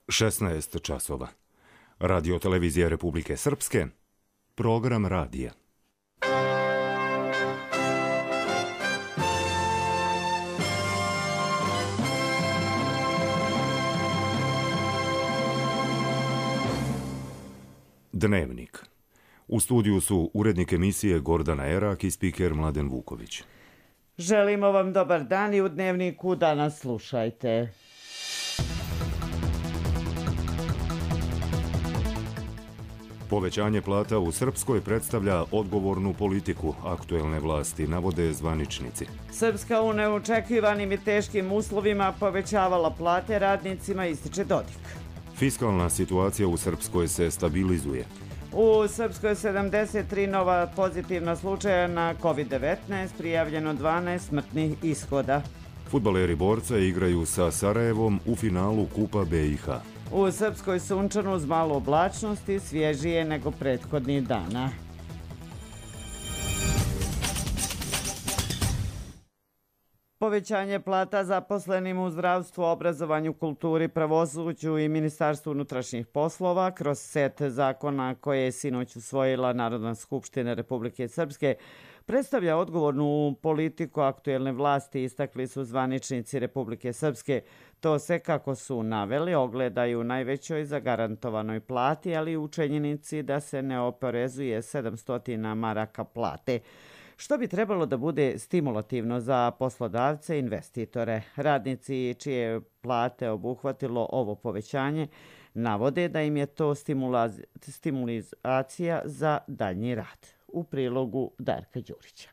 16 časova. Radio televizija Republike Srpske. Program radija. Dnevnik. U studiju su urednik emisije Gordana Erak i spiker Mladen Vuković. Želimo vam dobar dan i u Dnevniku danas slušajte. Povećanje plata u Srpskoj predstavlja odgovornu politiku aktuelne vlasti, navode zvaničnici. Srpska u neočekivanim i teškim uslovima povećavala plate radnicima, ističe Dodik. Fiskalna situacija u Srpskoj se stabilizuje. U Srpskoj 73 nova pozitivna slučaja na COVID-19, prijavljeno 12 smrtnih ishoda. Fudbaleri Borca igraju sa Sarajevom u finalu Kupa BiH. U Srpskoj sunčano uz malo oblačnosti, svježije nego prethodnih dana. Povećanje plata zaposlenim u zdravstvu, obrazovanju, kulturi, pravosuđu i Ministarstvu unutrašnjih poslova kroz set zakona koje je sinoć usvojila Narodna skupština Republike Srpske predstavlja odgovornu politiku aktuelne vlasti, istakli su zvaničnici Republike Srpske. To se, kako su naveli, ogledaju u najvećoj zagarantovanoj plati, ali i u činjenici da se ne oporezuje 700 maraka plate, što bi trebalo da bude stimulativno za poslodavce i investitore. Radnici čije plate obuhvatilo ovo povećanje navode da im je to stimulacija za daljnji rad. U prilogu Darka Đurića.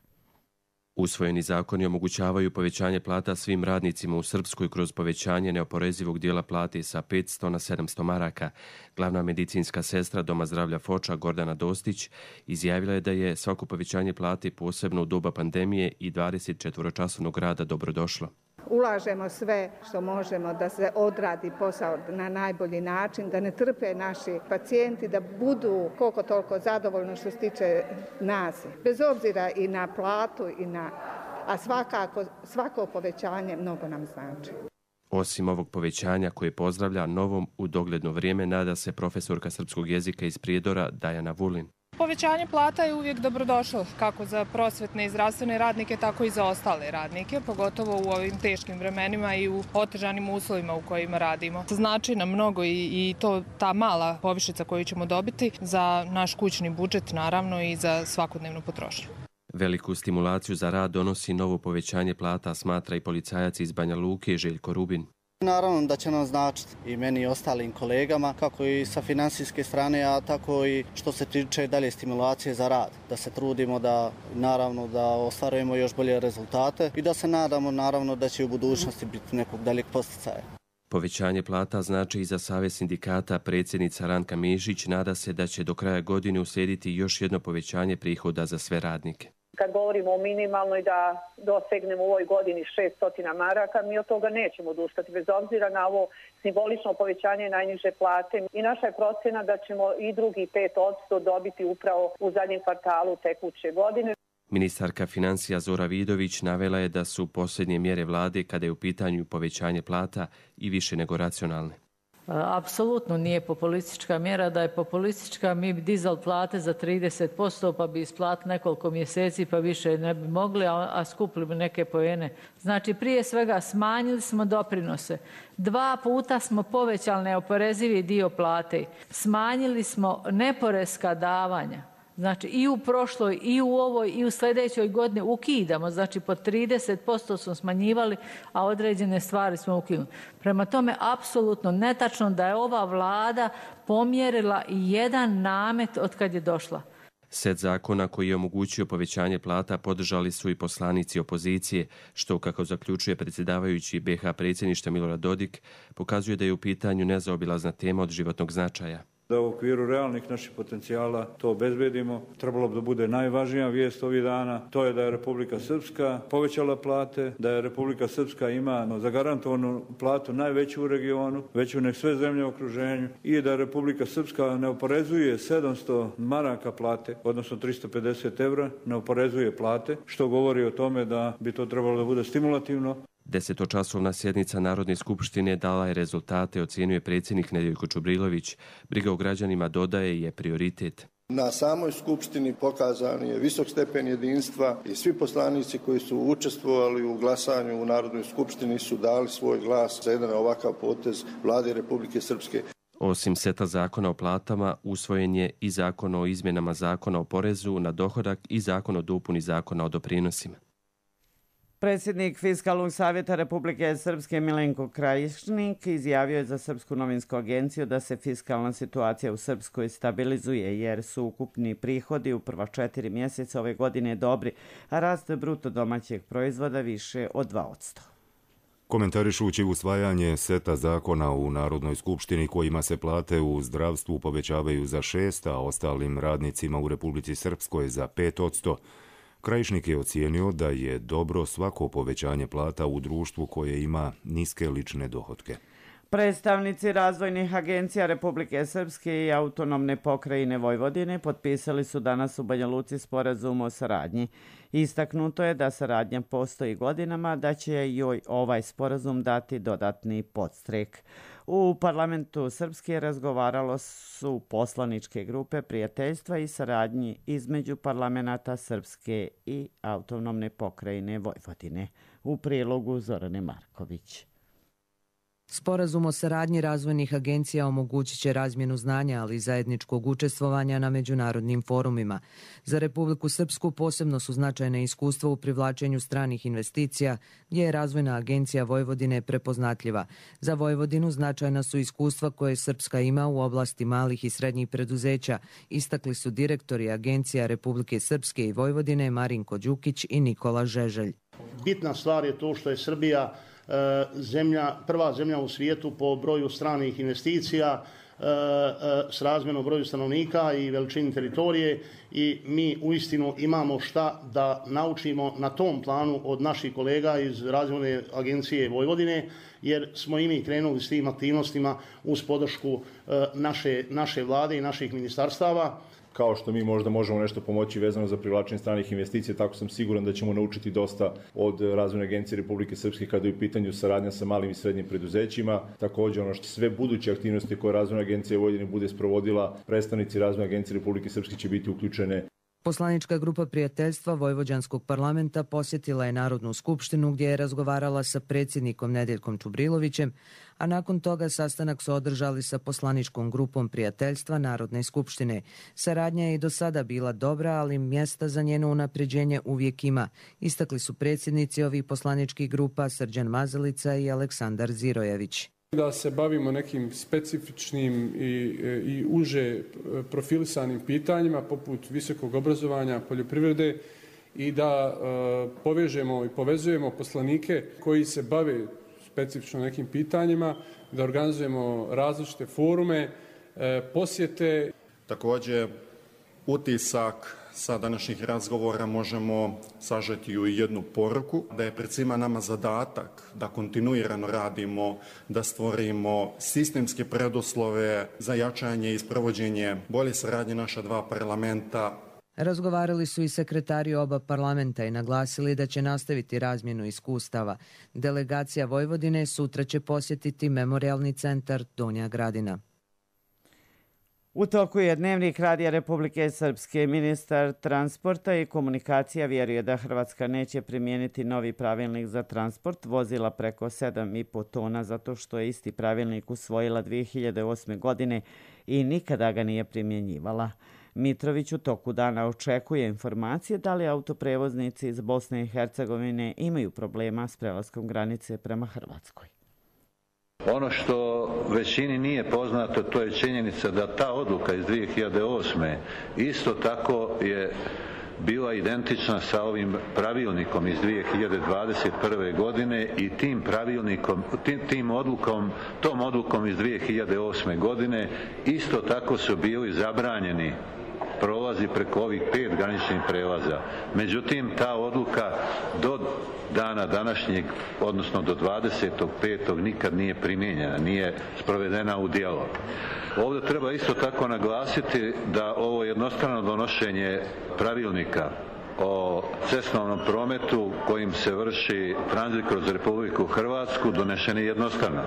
Usvojeni zakoni omogućavaju povećanje plata svim radnicima u Srpskoj kroz povećanje neoporezivog dijela plate sa 500 na 700 maraka. Glavna medicinska sestra Doma zdravlja Foča Gordana Dostić izjavila je da je svako povećanje plate posebno u doba pandemije i 24-časovnog rada dobrodošlo. Ulažemo sve što možemo da se odradi posao na najbolji način, da ne trpe naši pacijenti, da budu koliko toliko zadovoljni što se tiče nas. Bez obzira i na platu, a svako povećanje mnogo nam znači. Osim ovog povećanja koje pozdravlja, novom u dogledno vrijeme nada se profesorka srpskog jezika iz Prijedora Dajana Vulin. Povećanje plata je uvijek dobrodošlo, kako za prosvetne i zdravstvene radnike, tako i za ostale radnike, pogotovo u ovim teškim vremenima i u otežanim uslovima u kojima radimo. Znači nam mnogo i ta mala povišica koju ćemo dobiti za naš kućni budžet, naravno, i za svakodnevnu potrošnju. Veliku stimulaciju za rad donosi novo povećanje plata, smatra i policajac iz Banja Luke Željko Rubin. Naravno da će nam značiti i meni i ostalim kolegama, kako i sa finansijske strane, a tako i što se tiče dalje stimulacije za rad. Da se trudimo da ostvarujemo još bolje rezultate i da se nadamo naravno da će u budućnosti biti nekog daljeg posticaja. Povećanje plata znači i za Savez sindikata. Predsjednica Ranka Mišić nada se da će do kraja godine uslijediti još jedno povećanje prihoda za sve radnike. Kad govorimo o minimalnoj da dosegnemo u ovoj godini 600 maraka, mi od toga nećemo odustati, bez obzira na ovo simbolično povećanje najniže plate. I naša je procjena da ćemo i drugi 5% dobiti upravo u zadnjem kvartalu tekuće godine. Ministarka financija Zora Vidović navela je da su posljednje mjere vlade kada je u pitanju povećanje plata i više nego racionalne. Apsolutno nije populistička mjera. Da je populistička, mi bi dizali plate za 30%, pa bi isplatili nekoliko mjeseci, pa više ne bi mogli, a skupili bi neke poene. Znači, prije svega smanjili smo doprinose. 2 puta smo povećali neoporezivi dio plate. Smanjili smo neporeska davanja. Znači, i u prošloj, i u ovoj, i u sljedećoj godini ukidamo. Znači, po 30% smo smanjivali, a određene stvari smo ukinuli. Prema tome, apsolutno netačno da je ova vlada pomjerila i jedan namet od kad je došla. Set zakona koji je omogućio povećanje plata podržali su i poslanici opozicije, što, kako zaključuje predsjedavajući BiH predsjedništva Milorad Dodik, pokazuje da je u pitanju nezaobilazna tema od životnog značaja. Da u okviru realnih naših potencijala to obezbedimo. Trebalo bi da bude najvažnija vijest ovih dana. To je da je Republika Srpska povećala plate, da je Republika Srpska ima zagarantovanu platu najveću u regionu, veću nek sve zemlje u okruženju, i da Republika Srpska ne oporezuje 700 maraka plate, odnosno 350 evra, ne oporezuje plate, što govori o tome da bi to trebalo da bude stimulativno. 10-časovna sjednica Narodne skupštine dala je rezultate, ocjenjuje predsjednik Nedjeljko Čubrilović. Briga o građanima, dodaje, je prioritet. Na samoj skupštini pokazan je visok stepen jedinstva i svi poslanici koji su učestvovali u glasanju u Narodnoj skupštini su dali svoj glas za jedan ovakav potez Vlade Republike Srpske. Osim seta zakona o platama, usvojen je i zakon o izmjenama zakona o porezu na dohodak i zakon o dopuni zakona o doprinosima. Predsjednik Fiskalnog savjeta Republike Srpske Milenko Krajišnik izjavio je za Srpsku novinsku agenciju da se fiskalna situacija u Srpskoj stabilizuje jer su ukupni prihodi u prva 4 mjeseca ove godine dobri, a rast bruto domaćeg proizvoda više od 2%. Komentarišući usvajanje seta zakona u Narodnoj skupštini kojima se plate u zdravstvu povećavaju za 6%, a ostalim radnicima u Republici Srpskoj za 5%, Krajišnik je ocijenio da je dobro svako povećanje plata u društvu koje ima niske lične dohotke. Predstavnici razvojnih agencija Republike Srpske i autonomne pokrajine Vojvodine potpisali su danas u Banja Luci sporazum o saradnji. Istaknuto je da saradnja postoji godinama, da će joj ovaj sporazum dati dodatni podstrek. U parlamentu Srpske razgovaralo su poslaničke grupe prijateljstva i saradnji između parlamenta Srpske i autonomne pokrajine Vojvodine. U prilogu Zorane Marković. Sporazum o saradnji razvojnih agencija omogućit će razmjenu znanja, ali i zajedničkog učestvovanja na međunarodnim forumima. Za Republiku Srpsku posebno su značajne iskustva u privlačenju stranih investicija, gdje je Razvojna agencija Vojvodine prepoznatljiva. Za Vojvodinu značajna su iskustva koje Srpska ima u oblasti malih i srednjih preduzeća, istakli su direktori agencija Republike Srpske i Vojvodine Marinko Đukić i Nikola Žeželj. Bitna stvar je to što je Srbija prva zemlja u svijetu po broju stranih investicija s razmjerno broju stanovnika i veličini teritorije i mi uistinu imamo šta da naučimo na tom planu od naših kolega iz Razvojne agencije Vojvodine, jer smo i mi krenuli s tim aktivnostima uz podršku naše vlade i naših ministarstava. Kao što mi možda možemo nešto pomoći vezano za privlačenje stranih investicija, tako sam siguran da ćemo naučiti dosta od Razvojne agencije Republike Srpske kada je u pitanju saradnja sa malim i srednjim preduzećima. Također ono što sve buduće aktivnosti koje Razvojna agencija Vojvodine bude sprovodila, predstavnici Razvojne agencije Republike Srpske će biti uključene. Poslanička grupa prijateljstva Vojvođanskog parlamenta posjetila je Narodnu skupštinu gdje je razgovarala sa predsjednikom Nedjeljkom Čubrilovićem, a nakon toga sastanak su održali sa poslaničkom grupom prijateljstva Narodne skupštine. Saradnja je i do sada bila dobra, ali mjesta za njeno unapređenje uvijek ima. Istakli su predsjednici ovih poslaničkih grupa Srđan Mazalica i Aleksandar Zirojević. Da se bavimo nekim specifičnim i uže profilisanim pitanjima poput visokog obrazovanja, poljoprivrede i da povežemo i povezujemo poslanike koji se bave specifično nekim pitanjima, da organizujemo različite forume, posjete. Također, utisak sa današnjih razgovora možemo sažeti u jednu poruku, da je pred svima nama zadatak da kontinuirano radimo, da stvorimo sistemske preduslove za jačanje i sprovođenje bolje saradnje naša dva parlamenta. Razgovarali su i sekretari oba parlamenta i naglasili da će nastaviti razmjenu iskustava. Delegacija Vojvodine sutra će posjetiti Memorijalni centar Donja Gradina. U toku je Dnevnik Radija Republike Srpske. Ministar transporta i komunikacija vjeruje da Hrvatska neće primijeniti novi pravilnik za transport vozila preko 7,5 tona zato što je isti pravilnik usvojila 2008. godine i nikada ga nije primjenjivala. Mitrović u toku dana očekuje informacije da li autoprevoznici iz Bosne i Hercegovine imaju problema s prelaskom granice prema Hrvatskoj. Ono što većini nije poznato, to je činjenica da ta odluka iz 2008. isto tako je bila identična sa ovim pravilnikom iz 2021. godine i tom odlukom iz 2008. godine isto tako su bili zabranjeni prolazi preko ovih 5 graničnih prelaza. Međutim, ta odluka do dana današnjeg, odnosno do 25. nikad nije primijenjena, nije sprovedena u djelo. Ovdje treba isto tako naglasiti da ovo jednostrano donošenje pravilnika o cestovnom prometu kojim se vrši tranzit kroz Republiku Hrvatsku donesen je jednostavno.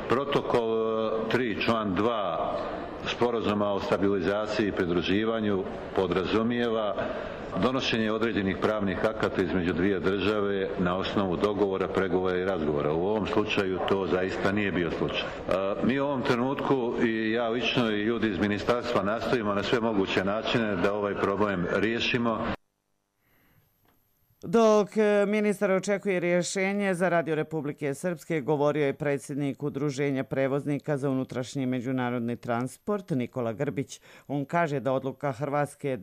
Protokol 3, član 2 Sporazuma o stabilizaciji i pridruživanju podrazumijeva donošenje određenih pravnih akata između dvije države na osnovu dogovora, pregovora i razgovora. U ovom slučaju to zaista nije bio slučaj. Mi u ovom trenutku i ja lično i ljudi iz ministarstva nastojimo na sve moguće načine da ovaj problem riješimo. Dok ministar očekuje rješenje za Radio Republike Srpske, govorio je predsjednik Udruženja prevoznika za unutrašnji međunarodni transport Nikola Grbić. On kaže da odluka Hrvatske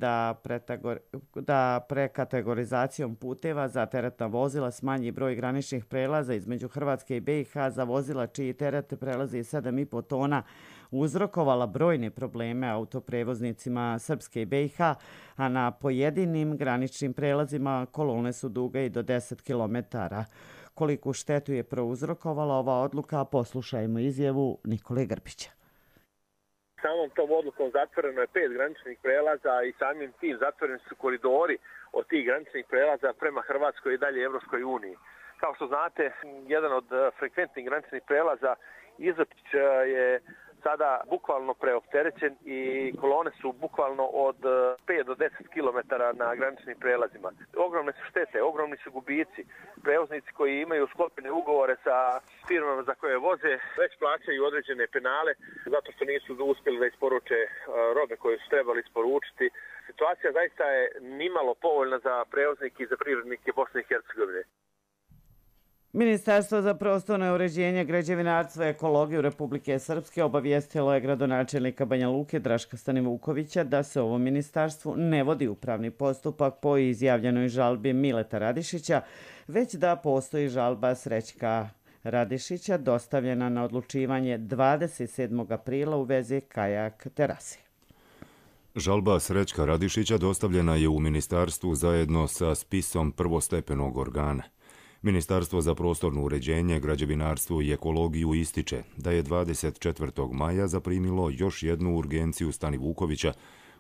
da prekategorizacijom puteva za teretna vozila smanji broj graničnih prelaza između Hrvatske i BiH za vozila čiji teret prelazi 7,5 tona uzrokovala brojne probleme autoprevoznicima Srpske i BiH, a na pojedinim graničnim prelazima kolone su duge i do 10 km. Koliku štetu je prouzrokovala ova odluka, poslušajmo izjavu Nikole Grbića. Samom tom odlukom zatvoreno je 5 graničnih prelaza i samim tim zatvoreni su koridori od tih graničnih prelaza prema Hrvatskoj i dalje Evropskoj uniji. Kao što znate, jedan od frekventnih graničnih prelaza Izotić je sada bukvalno preopterećen i kolone su bukvalno od 5 do 10 km na graničnim prelazima. Ogromne su štete, ogromni su gubici. Prevoznici koji imaju sklopljene ugovore sa firmama za koje voze već plaćaju određene penale zato što nisu uspjeli da isporuče robe koje su trebali isporučiti. Situacija zaista je nimalo povoljna za prevoznike i za privrednike Bosne i Hercegovine. Ministarstvo za prostorno uređenje, građevinarstvo i ekologiju Republike Srpske obavijestilo je gradonačelnika Banja Luke Draška Stanivukovića da se ovom ministarstvu ne vodi upravni postupak po izjavljenoj žalbi Mileta Radišića, već da postoji žalba Srećka Radišića dostavljena na odlučivanje 27. aprila u vezi kajak terase. Žalba Srećka Radišića dostavljena je u ministarstvu zajedno sa spisom prvostepenog organa. Ministarstvo za prostorno uređenje, građevinarstvo i ekologiju ističe da je 24. maja zaprimilo još jednu urgenciju Stanivukovića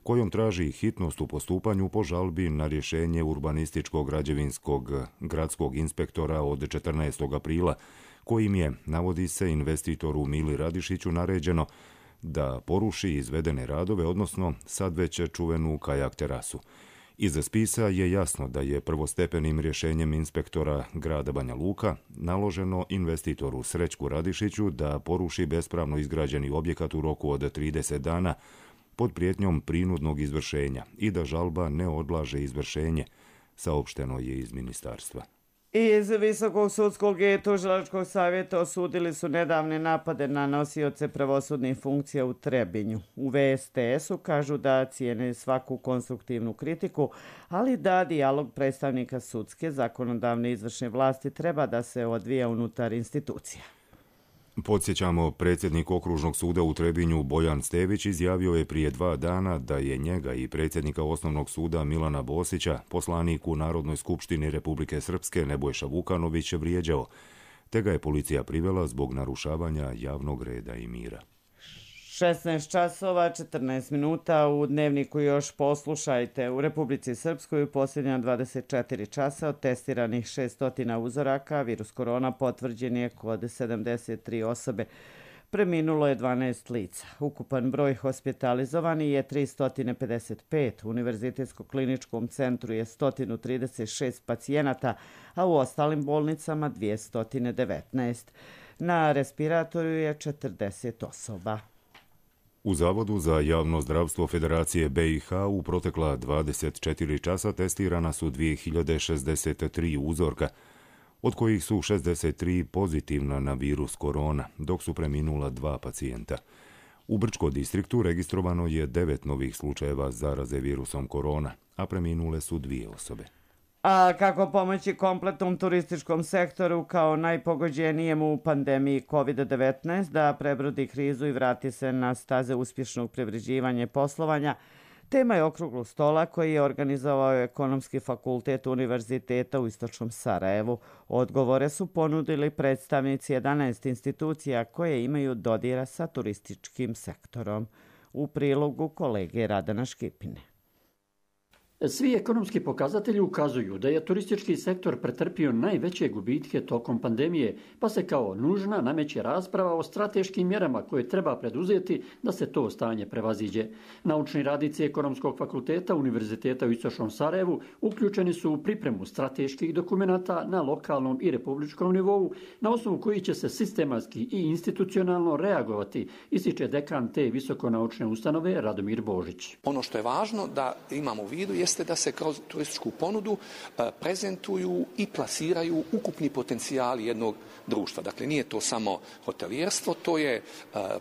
kojom traži hitnost u postupanju po žalbi na rješenje urbanističkog građevinskog gradskog inspektora od 14. aprila kojim je, navodi se, investitoru Mili Radišiću naređeno da poruši izvedene radove, odnosno sad već čuvenu kajak terasu. Iz spisa je jasno da je prvostepenim rješenjem inspektora grada Banja Luka naloženo investitoru Srećku Radišiću da poruši bespravno izgrađeni objekat u roku od 30 dana pod prijetnjom prinudnog izvršenja i da žalba ne odlaže izvršenje, saopšteno je iz ministarstva. Iz Visokog sudskog i tužilačkog savjeta osudili su nedavne napade na nosioce pravosudnih funkcija u Trebinju. U VSTS-u kažu da cijene svaku konstruktivnu kritiku, ali da dijalog predstavnika sudske, zakonodavne i izvršne vlasti treba da se odvija unutar institucija. Podsjećamo, predsjednik Okružnog suda u Trebinju Bojan Stević izjavio je prije 2 dana da je njega i predsjednika Osnovnog suda Milana Bosića poslanik u Narodnoj skupštini Republike Srpske Nebojša Vukanović vrijeđao, te ga je policija privela zbog narušavanja javnog reda i mira. 16 časova, 14 minuta u dnevniku još poslušajte. U Republici Srpskoj u posljednja 24 časa od testiranih 600 uzoraka virus korona potvrđen je kod 73 osobe. Preminulo je 12 lica. Ukupan broj hospitalizovani je 355. U Univerzitetsko-kliničkom centru je 136 pacijenata, a u ostalim bolnicama 219. Na respiratoru je 40 osoba. U Zavodu za javno zdravstvo Federacije BiH u protekla 24 časa testirana su 2063 uzorka, od kojih su 63 pozitivna na virus korona, dok su preminula 2 pacijenta. U Brčko distriktu registrovano je 9 novih slučajeva zaraze virusom korona, a preminule su 2 osobe. A kako pomoći kompletnom turističkom sektoru kao najpogođenijem u pandemiji COVID-19 da prebrodi krizu i vrati se na staze uspješnog privređivanja i poslovanja, tema je okruglog stola koji je organizovao Ekonomski fakultet Univerziteta u Istočnom Sarajevu. Odgovore su ponudili predstavnici 11 institucija koje imaju dodira sa turističkim sektorom. U prilogu kolege Radana Škipine. Svi ekonomski pokazatelji ukazuju da je turistički sektor pretrpio najveće gubitke tokom pandemije, pa se kao nužna nameće rasprava o strateškim mjerama koje treba preduzeti da se to stanje prevaziđe. Naučni radnici Ekonomskog fakulteta Univerziteta u Istočnom Sarajevu uključeni su u pripremu strateških dokumenata na lokalnom i republičkom nivou, na osnovu koji će se sistematski i institucionalno reagovati, ističe dekan te visokonaučne ustanove Radomir Božić. Ono što je važno da imamo u vidu jeste da se kroz turističku ponudu prezentuju i plasiraju ukupni potencijali jednog društva. Dakle, nije to samo hotelijerstvo, to je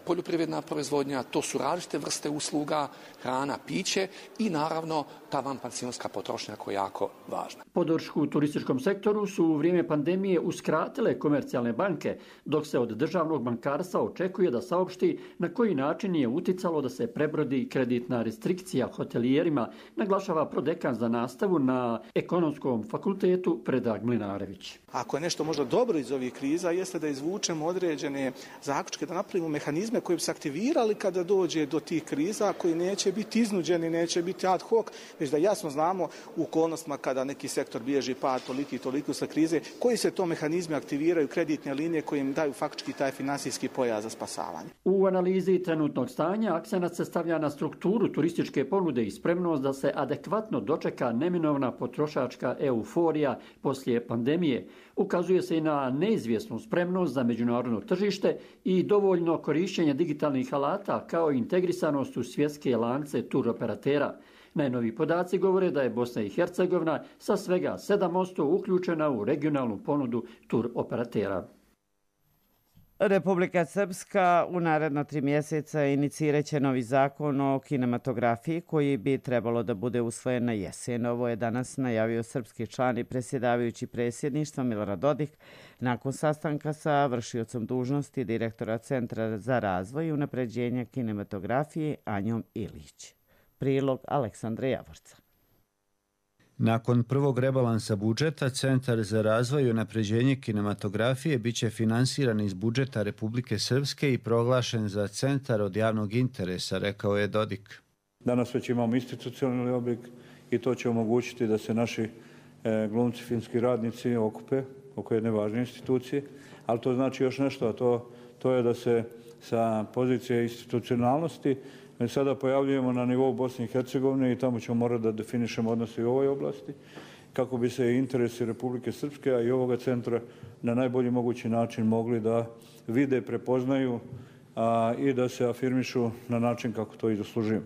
poljoprivredna proizvodnja, to su različite vrste usluga, hrana, piće i naravno ta vanpansionska potrošnja koja je jako važna. Podršku u turističkom sektoru su u vrijeme pandemije uskratile komercijalne banke, dok se od državnog bankarstva očekuje da saopšti na koji način je uticalo da se prebrodi kreditna restrikcija hotelijerima, naglašava prodekan za nastavu na Ekonomskom fakultetu Predrag Mlinarević. Ako je nešto možda dobro iz ovih kriza, jeste da izvučemo određene zaključke, da napravimo mehanizme koji bi se aktivirali kada dođe do tih kriza, koji neće biti iznuđeni, neće biti ad hoc, već da jasno znamo u okolnostima kada neki sektor bilježi pad toliko sa krize, koji se to mehanizmi aktiviraju, kreditne linije koje im daju faktički taj finansijski pojas za spasavanje. U analizi trenutnog stanja akcenat se stavlja na strukturu turističke ponude i spremnost da se adekvatno dočeka neminovna potrošačka euforija poslije pandemije. Ukazuje se i na neizvjesnu spremnost za međunarodno tržište i dovoljno korišćenje digitalnih alata kao i integrisanost u svjetske lance turoperatera. Najnoviji podaci govore da je Bosna i Hercegovina sa svega 7% uključena u regionalnu ponudu turoperatera. Republika Srpska u naredna 3 mjeseca inicirat će novi zakon o kinematografiji koji bi trebalo da bude usvojen na jesen. Ovo je danas najavio srpski član i predsjedavajući predsjedništva Milorad Dodik nakon sastanka sa vršiocom dužnosti direktora Centra za razvoj i unapređenje kinematografije Anjom Ilić. Prilog Aleksandra Javorca. Nakon prvog rebalansa budžeta, Centar za razvoj i unapređenje kinematografije biće finansiran iz budžeta Republike Srpske i proglašen za centar od javnog interesa, rekao je Dodik. Danas već imamo institucionalni oblik i to će omogućiti da se naši glumci, filmski radnici okupe oko jedne važne institucije, ali to znači još nešto, a to je da se sa pozicije institucionalnosti sada pojavljujemo na nivou Bosne i Hercegovine i tamo ćemo morati da definišemo odnose u ovoj oblasti kako bi se interesi Republike Srpske, a i ovoga centra na najbolji mogući način mogli da vide, prepoznaju i da se afirmišu na način kako to i zaslužuju.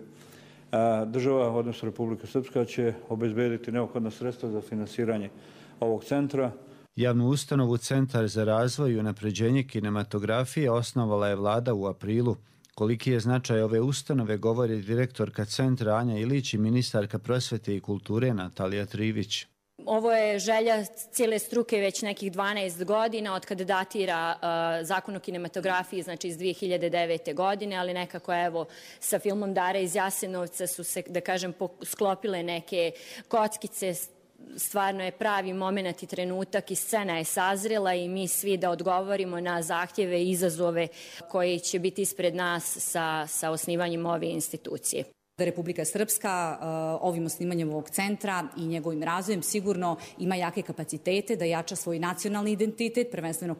Država, odnosno Republika Srpska, će obezbediti neophodna sredstva za finansiranje ovog centra. Javnu ustanovu Centar za razvoj i unapređenje kinematografije osnovala je vlada u aprilu. Koliki je značaj ove ustanove, govori direktorka centra Anja Ilić i ministarka prosvete i kulture Natalija Trivić. Ovo je želja cijele struke već nekih 12 godina, od kada datira zakon o kinematografiji, znači iz 2009. godine, ali nekako evo sa filmom Dara iz Jasenovca su se, da kažem, sklopile neke kockice. Stvarno je pravi moment i trenutak i scena je sazrela i mi svi da odgovorimo na zahtjeve i izazove koji će biti ispred nas sa osnivanjem ove institucije. Da Republika Srpska ovim osnivanjem ovog centra i njegovim razvojem sigurno ima jake kapacitete da jača svoj nacionalni identitet, prvenstveno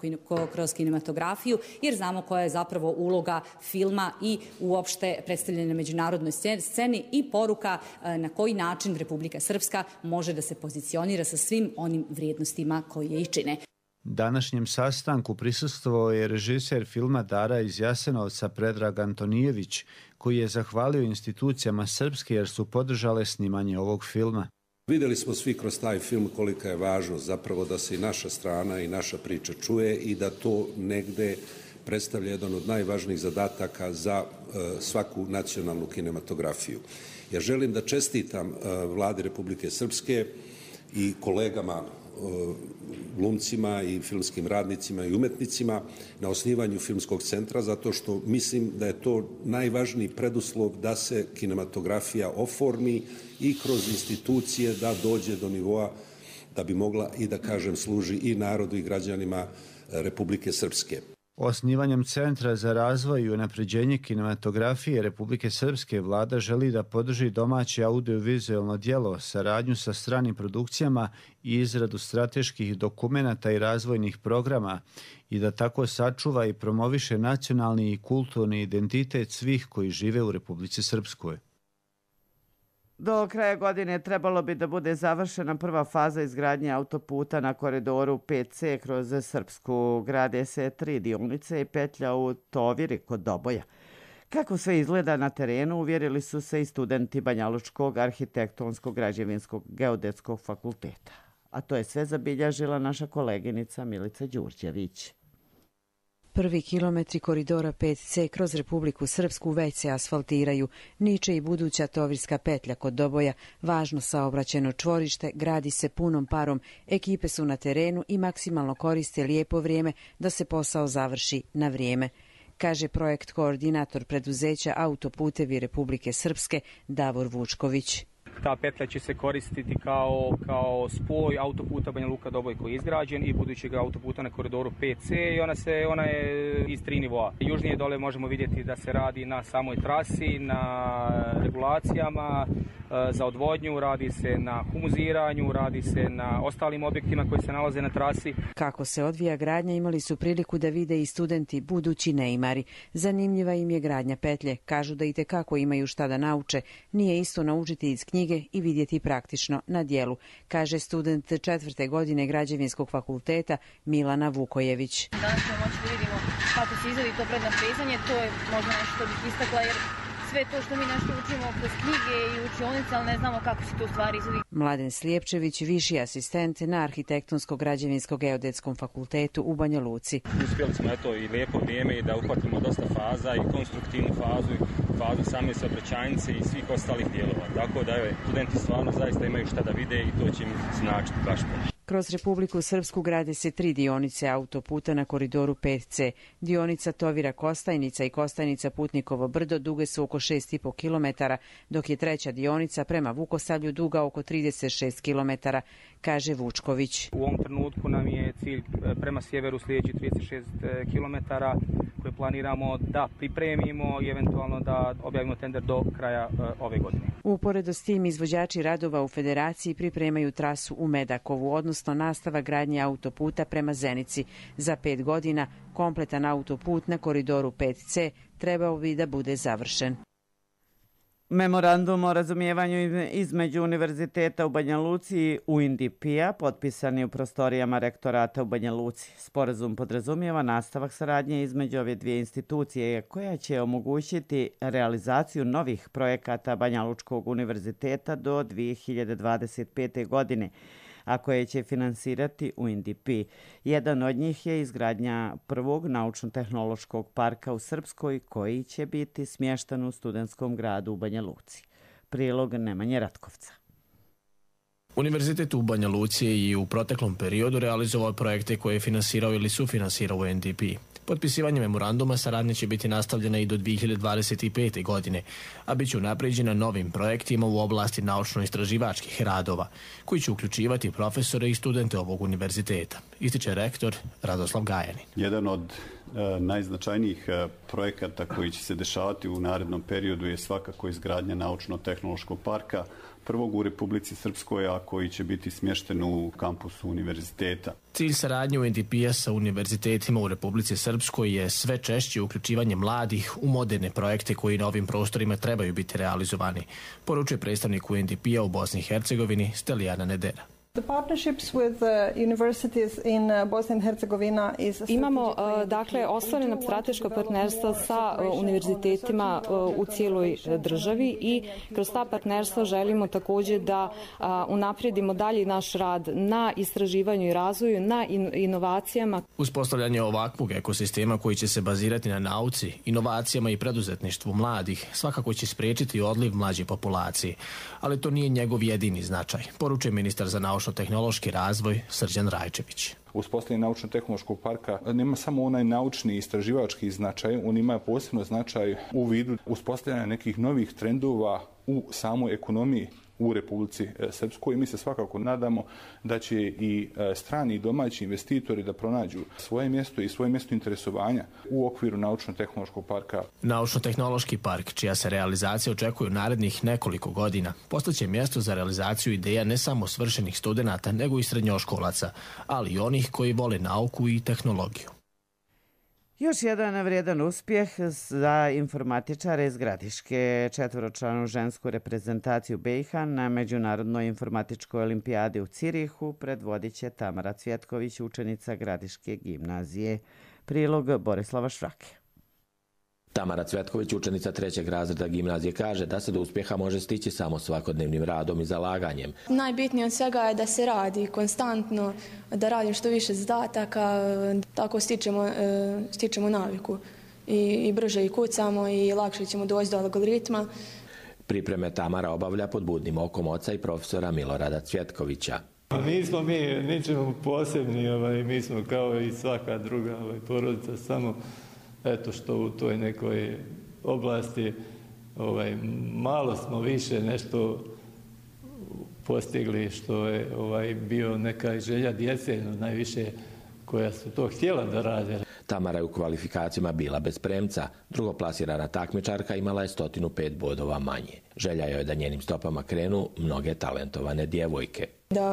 kroz kinematografiju, jer znamo koja je zapravo uloga filma i uopšte predstavljena na međunarodnoj sceni i poruka na koji način Republika Srpska može da se pozicionira sa svim onim vrijednostima koje je i čine. Današnjem sastanku prisustvovao je režiser filma Dara iz Jasenovca Predrag Antonijević, koji je zahvalio institucijama Srpske jer su podržale snimanje ovog filma. Vidjeli smo svi kroz taj film kolika je važnost zapravo da se i naša strana i naša priča čuje i da to negde predstavlja jedan od najvažnijih zadataka za svaku nacionalnu kinematografiju. Ja želim da čestitam Vladi Republike Srpske i kolegama glumcima i filmskim radnicima i umetnicima na osnivanju filmskog centra, zato što mislim da je to najvažniji preduslov da se kinematografija oformi i kroz institucije da dođe do nivoa da bi mogla i da kažem služi i narodu i građanima Republike Srpske. Osnivanjem Centra za razvoj i unapređenje kinematografije Republike Srpske vlada želi da podrži domaće audiovizualno djelo, saradnju sa stranim produkcijama i izradu strateških dokumenata i razvojnih programa i da tako sačuva i promoviše nacionalni i kulturni identitet svih koji žive u Republici Srpskoj. Do kraja godine trebalo bi da bude završena prva faza izgradnje autoputa na koridoru 5C kroz Srpsku. Grade se 3 dionice i petlja u Toviri kod Doboja. Kako sve izgleda na terenu, uvjerili su se i studenti Banjalučkog arhitektonskog građevinskog geodetskog fakulteta. A to je sve zabilježila naša koleginica Milica Đurđević. Prvi kilometri koridora 5C kroz Republiku Srpsku već se asfaltiraju. Niče i buduća Tovirska petlja kod Doboja. Važno saobraćajno čvorište gradi se punom parom. Ekipe su na terenu i maksimalno koriste lijepo vrijeme da se posao završi na vrijeme, kaže projekt koordinator preduzeća Autoputevi Republike Srpske Davor Vučković. Ta petlja će se koristiti kao spoj autoputa Banja Luka Doboj koji je izgrađen i budućeg autoputa na koridoru 5C i ona je iz 3 nivoa. Južnije dole možemo vidjeti da se radi na samoj trasi, na regulacijama za odvodnju, radi se na humuziranju, radi se na ostalim objektima koji se nalaze na trasi. Kako se odvija gradnja imali su priliku da vide i studenti budući neimari. Zanimljiva im je gradnja petlje. Kažu da itekako imaju šta da nauče. Nije isto naučiti iz knjige i vidjeti praktično na dijelu, kaže student 4. godine Građevinskog fakulteta Milana Vukojević. Danas ćemo moći da vidimo kako se izvodi to prednaprezanje, to je možda nešto što bih istakla jer sve to što mi nešto učimo kroz knjige i učionice, ali ne znamo kako se to u stvari izvodi. Mladen Slijepčević, viši asistent na Arhitektonsko-građevinskom geodetskom fakultetu u Banja Luci. Uspjeli smo i lijepo vrijeme i da uhvatimo dosta faza i konstruktivnu fazu i fazu same saobraćajnice i svih ostalih dijelova. Tako da studenti stvarno zaista imaju šta da vide i to će im značiti baš puno. Kroz Republiku Srpsku grade se 3 dionice autoputa na koridoru 5C. Dionica Tovira-Kostajnica i Kostajnica-Putnikovo brdo duge su oko 6,5 km, dok je treća dionica prema Vukosavlju duga oko 36 km, kaže Vučković. U ovom trenutku nam je cilj prema sjeveru sljedeći 36 km koje planiramo da pripremimo i eventualno da objavimo tender do kraja ove godine. Uporedo s tim izvođači radova u Federaciji pripremaju trasu u Medakovu, odnosno nastava gradnje autoputa prema Zenici. Za 5 godina kompletan autoput na koridoru 5C trebao bi da bude završen. Memorandum o razumijevanju između Univerziteta u Banja Luci i UNDP-a potpisan je u prostorijama rektorata u Banja Luci. Sporazum podrazumijeva nastavak saradnje između ove dvije institucije koja će omogućiti realizaciju novih projekata Banja Lučkog univerziteta do 2025. godine, a koje će finansirati UNDP. Jedan od njih je izgradnja prvog naučno-tehnološkog parka u Srpskoj koji će biti smješten u studentskom gradu u Banja Luci. Prilog Nemanje Ratkovca. Univerzitet u Banja Luci je i u proteklom periodu realizovao projekte koje je finansirao ili sufinansirao UNDP. Potpisivanje memoranduma saradnje će biti nastavljena i do 2025. godine, a bit će unapređena novim projektima u oblasti naučno-istraživačkih radova, koji će uključivati profesore i studente ovog univerziteta, ističe rektor Radoslav Gajanin. Jedan od najznačajnijih projekata koji će se dešavati u narednom periodu je svakako izgradnja naučno-tehnološkog parka, prvog u Republici Srpskoj, a koji će biti smješten u kampusu univerziteta. Cilj saradnje UNDP-a sa univerzitetima u Republici Srpskoj je sve češće uključivanje mladih u moderne projekte koji na ovim prostorima trebaju biti realizovani, poručuje predstavnik UNDP-a u Bosni i Hercegovini Stelijana Nedera. Imamo dakle ostvarena strateška partnerstva sa univerzitetima u cijeloj državi i kroz ta partnerstva želimo također da unaprijedimo dalje naš rad na istraživanju i razvoju, na inovacijama. Uspostavljanje ovakvog ekosistema koji će se bazirati na nauci, inovacijama i preduzetništvu mladih svakako će spriječiti odliv mlađe populacije, ali to nije njegov jedini značaj, poručuje ministar za naučno-tehnološki razvoj Srđan Rajčević. Uspostavljanje naučno-tehnološkog parka nema samo onaj naučni i istraživački značaj, on ima posebno značaj u vidu uspostavljanja nekih novih trendova u samoj ekonomiji u Republici Srpskoj i mi se svakako nadamo da će i strani i domaći investitori da pronađu svoje mjesto i svoje mjesto interesovanja u okviru Naučno-tehnološkog parka. Naučno-tehnološki park, čija se realizacija očekuje u narednih nekoliko godina, postaće mjesto za realizaciju ideja ne samo svršenih studenata, nego i srednjoškolaca, ali i onih koji vole nauku i tehnologiju. Još jedan vrijedan uspjeh za informatičare iz Gradiške. 4-članu žensku reprezentaciju BiH na Međunarodnoj informatičkoj olimpijadi u Cirihu predvodit će Tamara Cvjetković, učenica Gradiške gimnazije. Prilog Borislava Švrake. Tamara Cvjetković, učenica 3. razreda gimnazije, kaže da se do uspjeha može stići samo svakodnevnim radom i zalaganjem. Najbitnije od svega je da se radi konstantno, da radim što više zadataka, tako stičemo naviku i brže i kucamo i lakše ćemo doći do algoritma. Pripreme Tamara obavlja pod budnim okom oca i profesora Milorada Cvjetkovića. Nismo mi ničemu posebni, mi smo kao i svaka druga porodica, samo eto što u toj nekoj oblasti malo smo više nešto postigli, što je bio neka želja djece, najviše koja su to htjela da rade. Tamara je u kvalifikacijama bila bez premca, drugoplasirana takmičarka imala je 105 bodova manje. Želja je da njenim stopama krenu mnoge talentovane djevojke.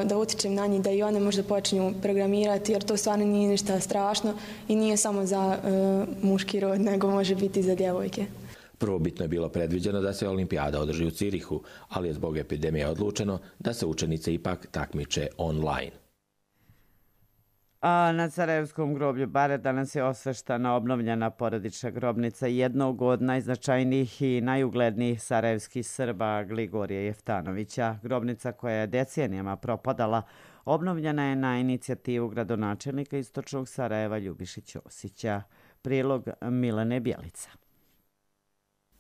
Da utičem na njih, da i one možda počinju programirati, jer to stvarno nije ništa strašno i nije samo za muški rod, nego može biti i za djevojke. Prvobitno je bilo predviđeno da se olimpijada održi u Cirihu, ali je zbog epidemije odlučeno da se učenice ipak takmiče online. A na Sarajevskom groblju Bare danas je osveštana obnovljena porodična grobnica jednog od najznačajnijih i najuglednijih sarajevskih Srba, Gligorija Jeftanovića. Grobnica koja je decenijama propadala, obnovljena je na inicijativu gradonačelnika Istočnog Sarajeva Ljubiše Ćosića. Prilog Milane Bjelica.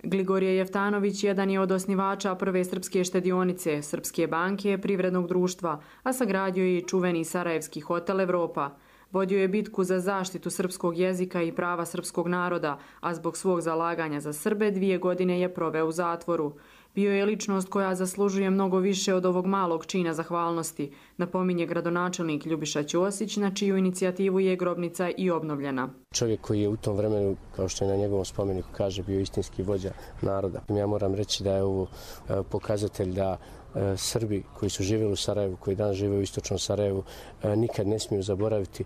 Gligorije Jeftanović jedan je od osnivača prve srpske štedionice, Srpske banke, privrednog društva, a sagradio je i čuveni sarajevski hotel Evropa. Vodio je bitku za zaštitu srpskog jezika i prava srpskog naroda, a zbog svog zalaganja za Srbe 2 godine je proveo u zatvoru. Bio je ličnost koja zaslužuje mnogo više od ovog malog čina zahvalnosti, napominje gradonačelnik Ljubiša Ćosić, na čiju inicijativu je grobnica i obnovljena. Čovjek koji je u tom vremenu, kao što je na njegovom spomeniku kaže, bio istinski vođa naroda. Ja moram reći da je ovo pokazatelj da Srbi koji su živjeli u Sarajevu, koji danas žive u Istočnom Sarajevu, nikad ne smiju zaboraviti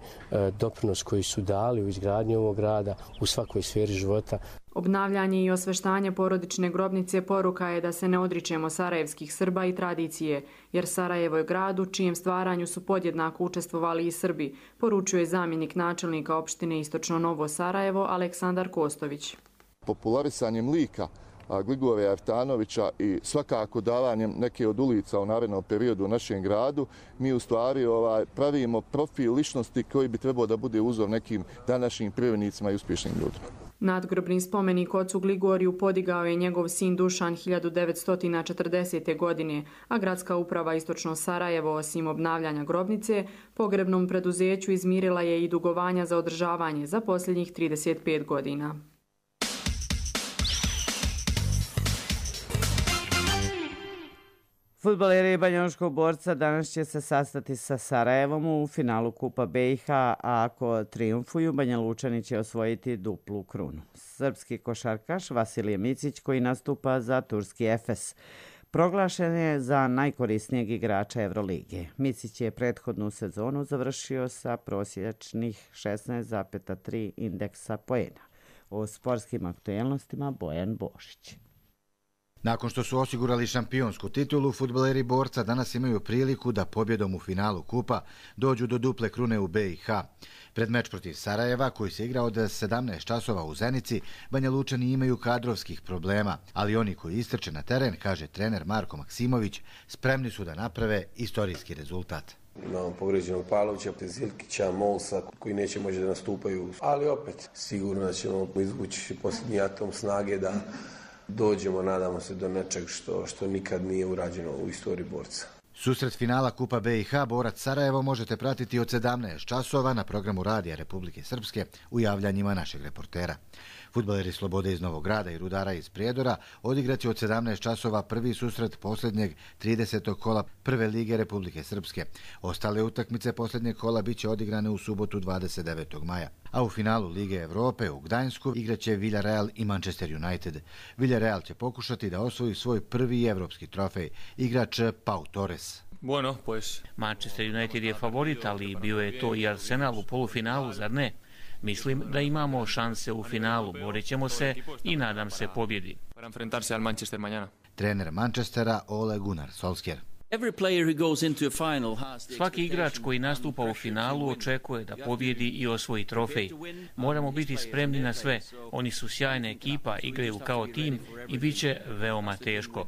doprinos koji su dali u izgradnji ovog grada u svakoj sferi života. Obnavljanje i osveštanje porodične grobnice poruka je da se ne odričemo sarajevskih Srba i tradicije, jer Sarajevo je grad u čijem stvaranju su podjednako učestvovali i Srbi, poručuje zamjenik načelnika opštine Istočno Novo Sarajevo Aleksandar Kostović. Popularisanjem lika Gligorija Jeftanovića i svakako davanjem neke od ulica u narednom periodu u našem gradu, mi u stvari pravimo profil ličnosti koji bi trebao da bude uzor nekim današnjim privrednicima i uspješnim ljudima. Nadgrobni spomenik ocu Gligoriju podigao je njegov sin Dušan 1940. godine, a gradska uprava Istočno Sarajevo, osim obnavljanja grobnice, pogrebnom preduzeću izmirila je i dugovanja za održavanje za posljednjih 35 godina. Fudbaleri Banjalučkog Borca danas će se sastati sa Sarajevom u finalu Kupa BiH, a ako triumfuju, Banjalučani će osvojiti duplu krunu. Srpski košarkaš Vasilije Micić, koji nastupa za turski Efes, proglašen je za najkorisnijeg igrača Evrolige. Micić je prethodnu sezonu završio sa prosječnih 16,3 indeksa poena. O sportskim aktuelnostima Bojan Bošić. Nakon što su osigurali šampionsku titulu, fudbaleri Borca danas imaju priliku da pobjedom u finalu kupa dođu do duple krune u BiH. Pred meč protiv Sarajeva, koji se igra od 17 časova u Zenici, Banjalučani imaju kadrovskih problema, ali oni koji istrče na teren, kaže trener Marko Maksimović, spremni su da naprave istorijski rezultat. Imamo povređenog Pavlovića, Zilkića, Molsa, koji neće moći da nastupaju, ali opet sigurno da ćemo izvući posljednji atom snage da dođemo, nadamo se, do nečeg što nikad nije urađeno u istoriji Borca. Susret finala Kupa BiH Borac Sarajevo možete pratiti od 17 časova na programu Radija Republike Srpske u javljanjima našeg reportera. Fudbaleri Slobode iz Novog Grada i Rudara iz Prijedora odigraće od 17 časova prvi susret posljednjeg 30. kola Prve lige Republike Srpske. Ostale utakmice posljednjeg kola biće odigrane u subotu 29. maja. A u finalu Lige Evrope u Gdańsku igraće Villarreal i Manchester United. Villarreal će pokušati da osvoji svoj prvi evropski trofej. Igrač Pau Torres. Bueno, pues Manchester United je favorit, ali bio je to i Arsenal u polufinalu, zar ne? Mislim da imamo šanse u finalu, borit ćemo se i nadam se pobjedi. Trener Manchestera Ole Gunnar Solskjaer. Svaki igrač koji nastupa u finalu očekuje da pobjedi i osvoji trofej. Moramo biti spremni na sve. Oni su sjajna ekipa, igraju kao tim i bit će veoma teško.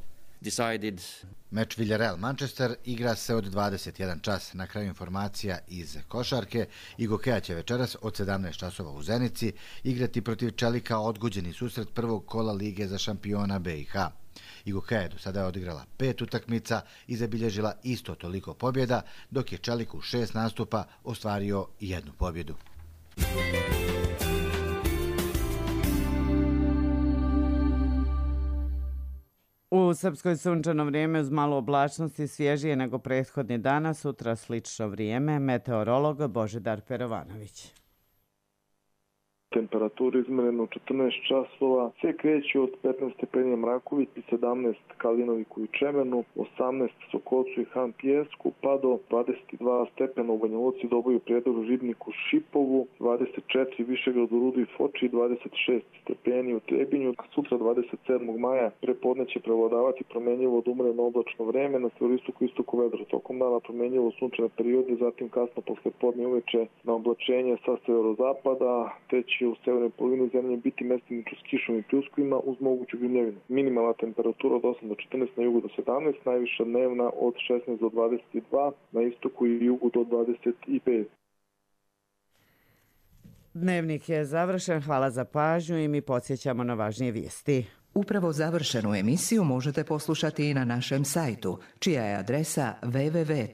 Meč Villarreal-Manchester igra se od 21 čas. Na kraju informacija iz košarke. Igokeja će večeras od 17 časova u Zenici igrati protiv Čelika odgođeni susret prvog kola Lige za šampiona BiH. Igokeja je do sada odigrala 5 utakmica i zabilježila isto toliko pobjeda, dok je Čelik u 6 nastupa ostvario 1 pobjedu. U Srpskoj sunčano vrijeme uz malo oblačnosti, svježije nego prethodni dana, sutra slično vrijeme. Meteorolog Božidar Perovanović. Temperatura izmjerena u 14 časova se kreće od 15 stepeni Mraković i 17 Kalinoviku i Čemenu, 18 Sokolcu i Han Pijesku, pa do 22 stepena u Banja Luci, Doboju, Prijedoru, Ribniku, Šipovu, 24 Višegradu, Rudu i Foči, 26 stepeni u Trebinju. Sutra 27. maja prepodne će prevladavati promjenjivo od umreno oblačno vreme, na sjeveroistoku i istoku vedro. Tokom dana promjenjivo sunčane periode, zatim kasno posle podne uveče na oblačenje sa severozapada, te će u severnoj polovini zemlje biti mestimično s kišom i pljuskovima uz moguću grmljavinu. Minimalna temperatura od 8 do 14, na jugu do 17, najviša dnevna od 16 do 22, na istoku i jugu do 25. Dnevnik je završen, hvala za pažnju i mi podsjećamo na važnije vijesti. Upravo završenu emisiju možete poslušati i na našem sajtu, čija je adresa www.rtrs.tv.